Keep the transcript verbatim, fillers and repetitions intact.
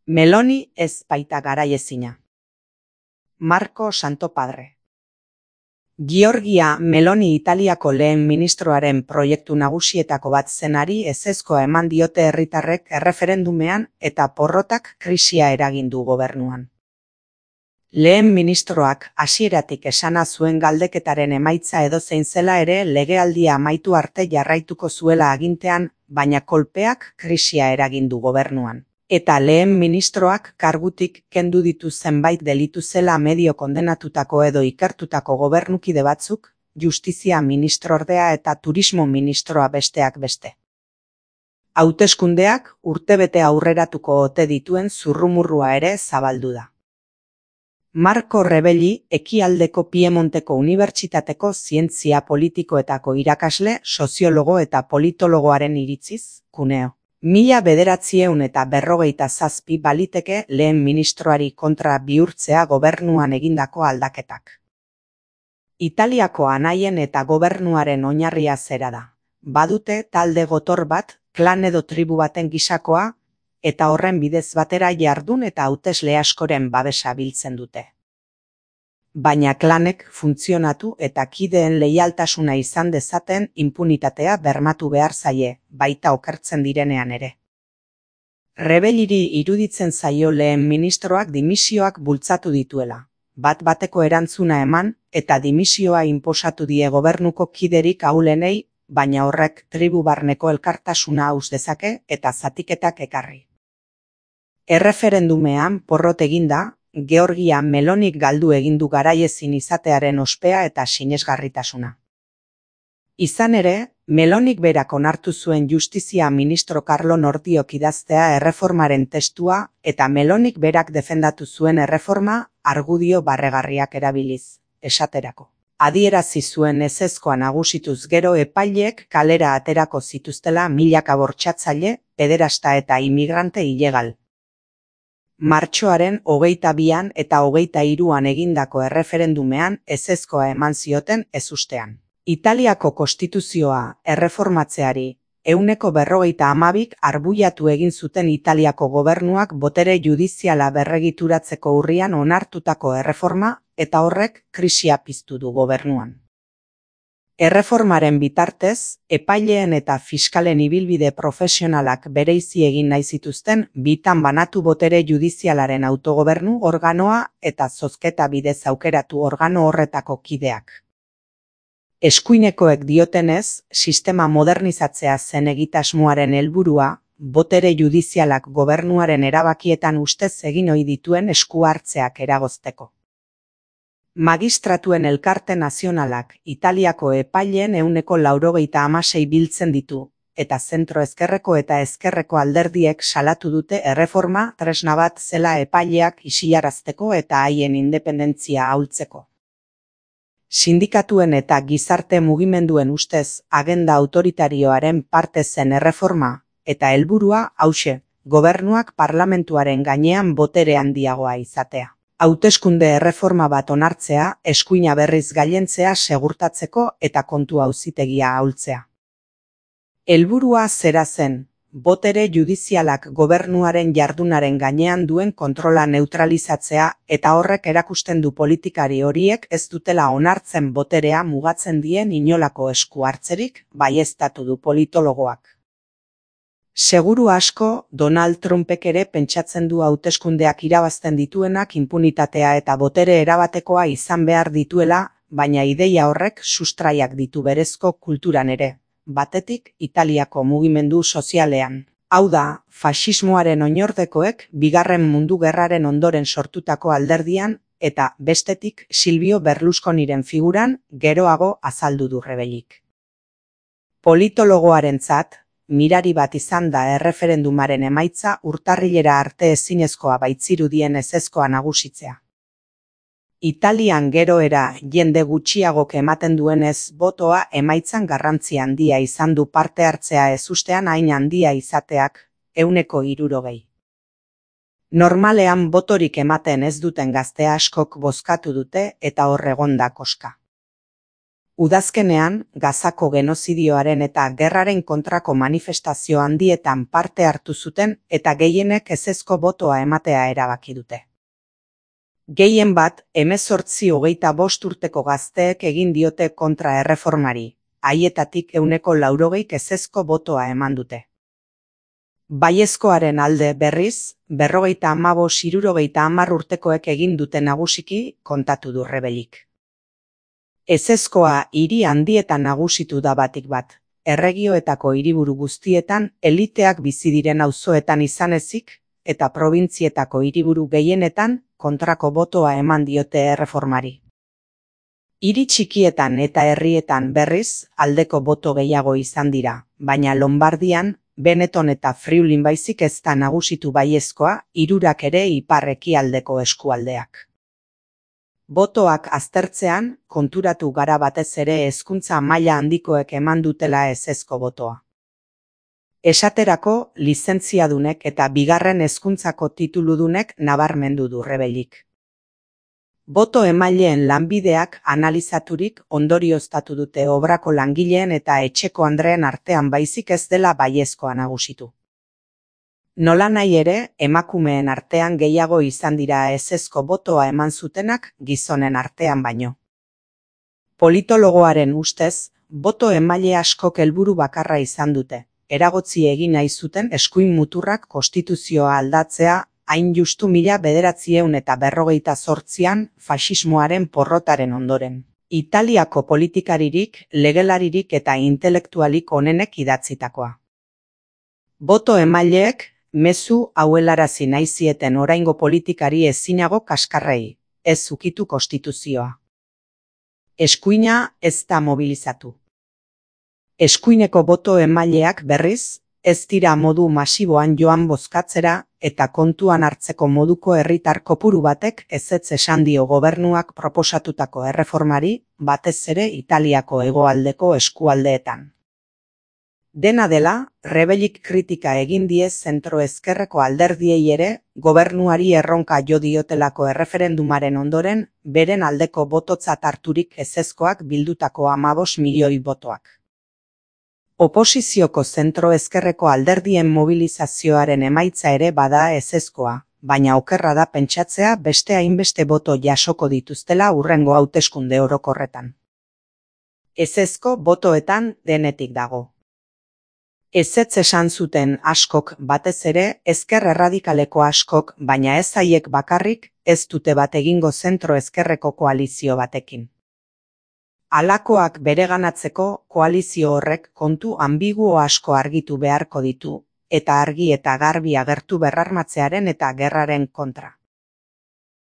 Meloni ez baita garaiezina. Marco Santopadre. Giorgia Meloni Italiako lehen ministroaren proiektu nagusietako bat zenari ezezkoa eman diote herritarrek erreferendumean eta porrotak krisia eragin du gobernuan. Lehen ministroak hasieratik esana zuen galdeketaren emaitza edozein zela ere legealdia amaitu arte jarraituko zuela agintean, baina kolpeak krisia eragin du gobernuan. Eta lehen ministroak kargutik kendu ditu zenbait delitu zela medio kondenatutako edo ikertutako gobernukide batzuk, justizia ministrordea eta turismo ministroa besteak beste. Hauteskundeak urtebete aurreratuko ote dituen zurrumurrua ere zabaldu da. Marco Rebelli Ekialdeko Piemonteko Unibertsitateko zientzia politikoetako irakasle, soziologo eta politologoaren iritziz, Cuneo. Mila bederatziehun eta berrogeita zazpi baliteke lehen ministroari kontra bihurtzea gobernuan egindako aldaketak. Italiako anaien eta gobernuaren oinarria zera da. Badute talde gotor bat, klan edo tribu baten gisakoa, eta horren bidez batera jardun eta hautesle askoren babesa biltzen dute. Baina klanek funtzionatu eta kideen leialtasuna izan dezaten inpunitatea bermatu behar zaie, baita okertzen direnean ere. Rebelliri iruditzen zaio lehen ministroak dimisioak bultzatu dituela, bat bateko erantzuna eman eta dimisioa inposatu die gobernuko kiderik ahulenei, baina horrek tribu barneko elkartasuna haus dezake eta zatiketak ekarri. Erreferendumean porrot eginda, Georgia Melonik galdu egindu garaiezin izatearen ospea eta sinesgarritasuna. Izan ere, Melonik berak onartu zuen justizia ministro Carlo Nordiok idaztea erreformaren testua eta Melonik berak defendatu zuen erreforma argudio barregarriak erabiliz, esaterako. Adierazi zuen ezezkoa nagusituz gero epaileek kalera aterako zituztela milaka bortxatzaile, pederasta eta imigrante ilegal. Martxoaren hogeita bian eta hogeita hiruan egindako erreferendumean ezezkoa eman zioten ezustean. Italiako konstituzioa erreformatzeari, ehuneko berrogeita hamabik arbuiatu egin zuten Italiako gobernuak botere judiziala berregituratzeko urrian onartutako erreforma eta horrek krisia piztu du gobernuan. Erreformaren bitartez, epaileen eta fiskalen ibilbide profesionalak bereizi egin nahi zituzten bitan banatu botere judizialaren autogobernu organoa eta zozketa bidez aukeratu organo horretako kideak. Eskuinekoek diotenez, sistema modernizatzea zen egitasmoaren helburua, botere judizialak gobernuaren erabakietan ustez egin ohi dituen esku hartzeak eragozteko. Magistratuen elkarte nazionalak Italiako epaileen ehuneko laurogeita hamasei biltzen ditu, eta zentro ezkerreko eta ezkerreko alderdiek salatu dute erreforma tresna bat zela epaileak isilarazteko eta haien independentzia ahultzeko. Sindikatuen eta gizarte mugimenduen ustez agenda autoritarioaren parte zen erreforma, eta helburua hauxe, gobernuak parlamentuaren gainean botere handiagoa izatea. Hauteskunde erreforma bat onartzea, eskuina berriz gailentzea segurtatzeko eta kontu auzitegia ahultzea. Helburua zera zen, botere judizialak gobernuaren jardunaren gainean duen kontrola neutralizatzea eta horrek erakusten du politikari horiek ez dutela onartzen boterea mugatzen dien inolako esku hartzerik, baieztatu du politologoak. Seguru asko, Donald Trumpek ere pentsatzen du hauteskundeak irabazten dituenak inpunitatea eta botere erabatekoa izan behar dituela, baina ideia horrek sustraiak ditu berezko kulturan ere, batetik Italiako mugimendu sozialean. Hau da, faxismoaren oinordekoek bigarren mundu gerraren ondoren sortutako alderdian eta bestetik Silvio Berlusconiren figuran geroago azaldu du Rebellik. Politologoarentzat, mirari bat izan da erreferendumaren emaitza urtarrilera arte ezinezkoa baitzirudien ezezkoa nagusitzea. Italian geroera jende gutxiagok ematen duenez botoa emaitzan garrantzi handia izan du parte hartzea ezustean hain handia izateak, ehuneko hirurogei. Normalean botorik ematen ez duten gazte askok bozkatu dute eta hor egon da koska. Udazkenean, Gazako genozidioaren eta gerraren kontrako manifestazio handietan parte hartu zuten eta gehienek ezezko botoa ematea erabaki dute. Gehien bat, hemezortzi hogeita bost urteko gazteek egin diote kontra erreformari, haietatik ehuneko laurogeik ezezko botoa eman dute. Baiezkoaren alde berriz, berrogeita hamabost hirurogeita hamar urtekoek egin dute nagusiki kontatu du Rebelik. Ezezkoa hiri handietan nagusitu da batik bat, erregioetako hiriburu guztietan eliteak bizi diren auzoetan izan ezik, eta probintzietako hiriburu gehienetan kontrako botoa eman diote erreformari. Hiri txikietan eta herrietan berriz aldeko boto gehiago izan dira, baina Lombardian, Benetton eta Friulin baizik ez da nagusitu baiezkoa, hirurak ere ipar-ekialdeko eskualdeak. Botoak aztertzean, konturatu gara batez ere hezkuntza maila handikoek eman dutela ezezko botoa. Esaterako, lizentziadunek eta bigarren hezkuntzako tituludunek nabarmendu du Rebelik. Boto emaileen lanbideak analizaturik ondorioztatu dute obrako langileen eta etxeko andreen artean baizik ez dela baiezkoa nagusitu. Nolanahi ere, emakumeen artean gehiago izan dira ezezko botoa eman zutenak gizonen artean baino. Politologoaren ustez, boto emaile askok helburu bakarra izan dute, eragotzi egin nahi zuten eskuin muturrak konstituzioa aldatzea, hain justu mila bederatziehun eta berrogeita zortzian faxismoaren porrotaren ondoren. Italiako politikaririk, legelaririk eta intelektualik onenek idatzitakoa. Boto emaileek, mezu hauelarazi nahi zieten oraingo politikari ezinago kaskarrei, ez ukitu konstituzioa. Eskuina ez da mobilizatu. Eskuineko boto emaileak berriz, ez dira modu masiboan joan bozkatzera eta kontuan hartzeko moduko herritar kopuru batek ezetz esan dio gobernuak proposatutako erreformari, batez ere Italiako hegoaldeko eskualdeetan. Dena dela, Rebelik kritika egin die zentro-ezkerreko alderdiei ere, gobernuari erronka jo diotelako erreferendumaren ondoren, beren aldeko bototzat harturik ezezkoak bildutako hamabost milioi botoak. Oposizioko zentro-ezkerreko alderdien mobilizazioaren emaitza ere bada ezezkoa, baina okerra da pentsatzea beste hainbeste boto jasoko dituztela hurrengo hauteskunde orokorretan. Ezezko botoetan denetik dago. Ezetz esan zuten askok batez ere ezker erradikaleko askok, baina ez haiek bakarrik, ez dute bat egingo zentro-ezkerreko koalizio batekin. Halakoak bereganatzeko koalizio horrek kontu anbiguo asko argitu beharko ditu, eta argi eta garbi agertu berrarmatzearen eta gerraren kontra.